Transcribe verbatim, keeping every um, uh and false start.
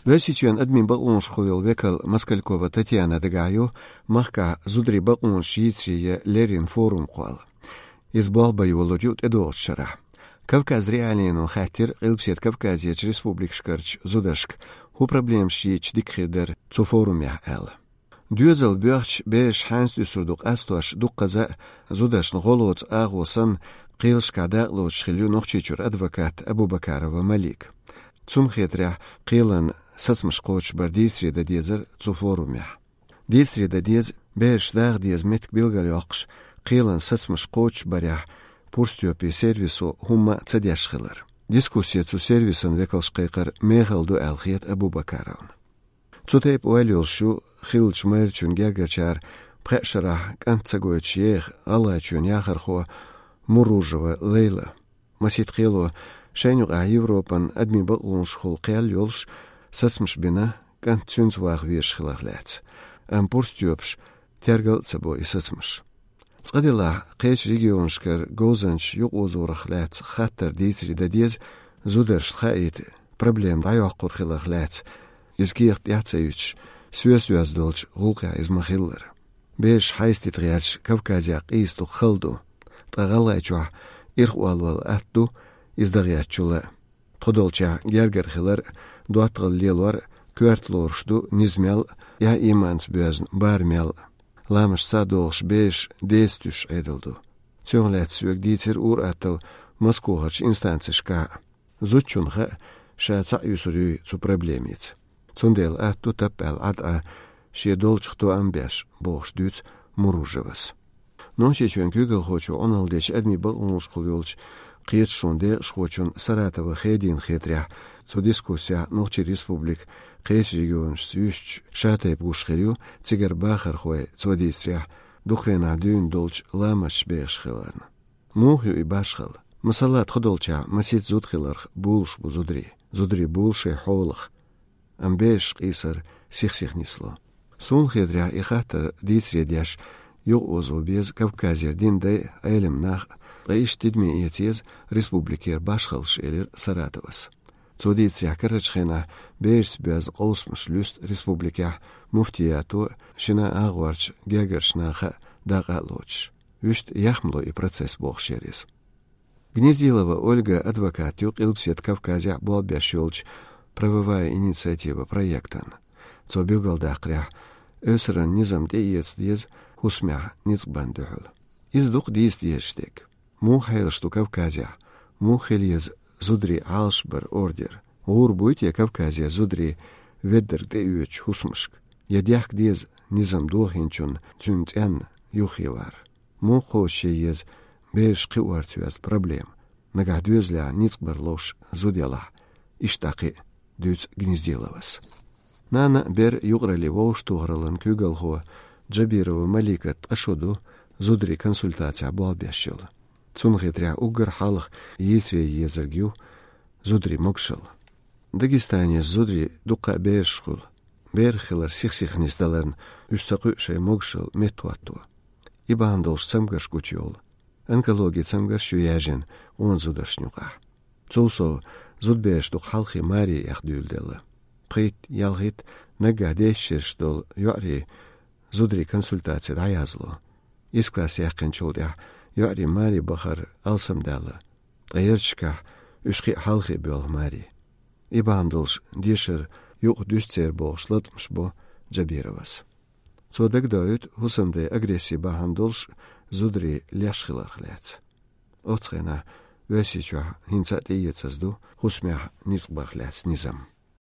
Оьрсийчоьнан адамийн бакъонашкахула йолу векал Москалькова Татьяна дагахь ю махкахь зударийн бакъонаш йийцаре я леррина форум кхолла. Иза болх бан йолур ю тӀедогӀучу шарахь. Кавказ.Реалиино хаьттира Къилбаседа Кавказерчу республикашкарчу зударшка, хӀун проблемаш йийцича дика хир дара цу форумехь аьлла. Доьзал боьхча, бераш хьаьнца дуьсур ду къастош, дуккхаза а зударшна гӀо лоцу агӀо санна, кхелашкахь дакъалоцуш хилла ю Нохчийчуьра адвокат Абубакарова Малика. Цунна хетарехь, кхелан сацамаш кхочушбар дийцаре дан дезара цу форумехь. Дийцаре дан деза, бераш даха деза меттиг билгалйоккхуш, кхелан сацамаш кхочушбарехь Пурстёпе сервисо хӀумма а ца деш хилар. Дискуссия цу сервисан векалша кхайкхар мехала ду аьлла хета Абубакаровна. Цу тайпа ойла йолуш ю хиллачу майрачун гергарчара пхеа шарахь кӀант ца гойтуш еха ГӀалгӀайчоьнан яхархо Муружева Лейла. Масийтта кхело шайна юкъахь Европан адамийн бакъонашкахула кхел йолуш сацамаш бина, кӀант цуьнца ваха везаш хиларх лаьцна. Амма Пурстёпаша тергал а ца бо и сацамаш. Цкъа делахь, кхечу регионашкара говзанчаш юкъаозорах лаьцна хаттар дийцаре дан деза, зударшна хаийта проблема дӀайоккхур хиларх лаьцна, иза кехат тӀехь а ца юьтуш, соьца йоьзна долчу гӀуллакхехь иза ма-хиллара. Бераш хьайстита гӀерташ Кавказехь къийса дукха хала ду, ткъа ГӀалгӀайчохь ирхъолла вала атта ду иза дан гӀертачул а. Тхо долчохь гергара хилар, доттагӀалла лелор, коьрта лоруш ду низа мел, я ийманца боьзна бара мел. Ламаш ца догӀуш бераш деца туьсуш Ӏедал ду. Цунах лаьцна соьга дийцира ур-атталла Москохарчу инстанцешкахь а. Зудчунна хаьа, ша цхьаъ юьсур юй цу проблемица. Цундела атта ду таппаьлла Ӏад Ӏа шен долчух тоам беш, бохуш дуьйцу Муружевас. Нохчийчоьнан куьйгалхочо Ӏуналла дечу адамийн бакъонашкахула йолчу кхеташонан декъашхочун Саратова Хедина хетарехь, цу дискуссехь Нохчийн Республика кхечу регионашца юьстича, шатайпа гуш хир ю цигара бахархой, цо дийцарехь, дукха хенахь дуьйна долчу ламасташ бехаш хиларна. Муха ю и башхалла? Масала, тхо долчохь масийтта зуда хиларх булуш бу зударий. Зударий булу шайн хьолах. Амма бераш къийсар сих-сиха нисло. Суна хетарехь, и хаттар дийцаре деш юкъаозо беза Кавказера динан дай, Ӏелам нах, ткъа иштта тидаме эца еза республикера башхаллаш, элира Саратовас. Цо дийцарехь, карарчу хенахь берашца боьзна къовсамаш луьсту республикехь муфтиято а, шина агӀорчу гергарчу наха а дакъа а лоцуш. Вуьшта яхмало и процесс, бохуш яра иза. Гнездилова Ольга адвокат ю Къилбаседа Кавказехь болх беш йолчу «Правовая инициатива» проектан. Цо билгалдаккхарехь, Эвсаран низам тӀеэца деза хӀусамехь ницкъ барна дуьхьал. Иза дукха дийца дезаш дерг. Муха хьелаш ду Кавказехь? Муха хила еза зударий Ӏалашбаран ордер? ГӀур буй те Кавказера зударий веддарг тӀеоьцучу хӀусамашка? Я дехка деза низам дохийначунна цуьнан цӀенна юххе вар? Муха кхочушъян еза бераш кхиорца йоьзна проблема, нагахь доьзалехь ницкъ бар ловш зуда ялахь? Иштта дӀа кхин а, дуьйцу Гнездиловас. Нана а, бер а юкъараллин вовшахтохараллин куьйгалхо Джабирова Малика ткъа шо ду зударийн консультацехь болх беш йолу. Цунна хетарехь, уггар хьалха йийцаре езарг ю зударийн могушалла. Дагестанерчу зударийн дуккха а бераш хуьлу. Берах хилар сих-сиха нисдаларна, уьш ца кхуьу шайн могушалла меттахӀотто. И бахьана долуш цамгарш гучуйовлу. Онкологин цамгарш ю яьржина къона зударшна юкъахь. Цул сов, зудабераш дукха хьалхе маре эха дуьйладелла. Пхийтта, ялхитта, наггахь дезачу шераш долу йоӀарий зударийн консультаце дӀаязло. Исс класс яьккхинчул тӀаьхьа йоӀарийн маре бахар алсамдаьлла, ткъа ярташкахь уьш кхин а хьалхе боьлху маре. И бахьана долуш дешар юкъа дуьсу церан бохуш латкъамаш бо Джабировас. Цо дагадоуьйту хӀусамдайн агрессин бахьана долуш зударий леш хиларх лаьцна. Оццу хенахь Оьрсийчохь хӀинца а тӀеэцаза ду хӀусамехь ницкъ барх лаьцна низам.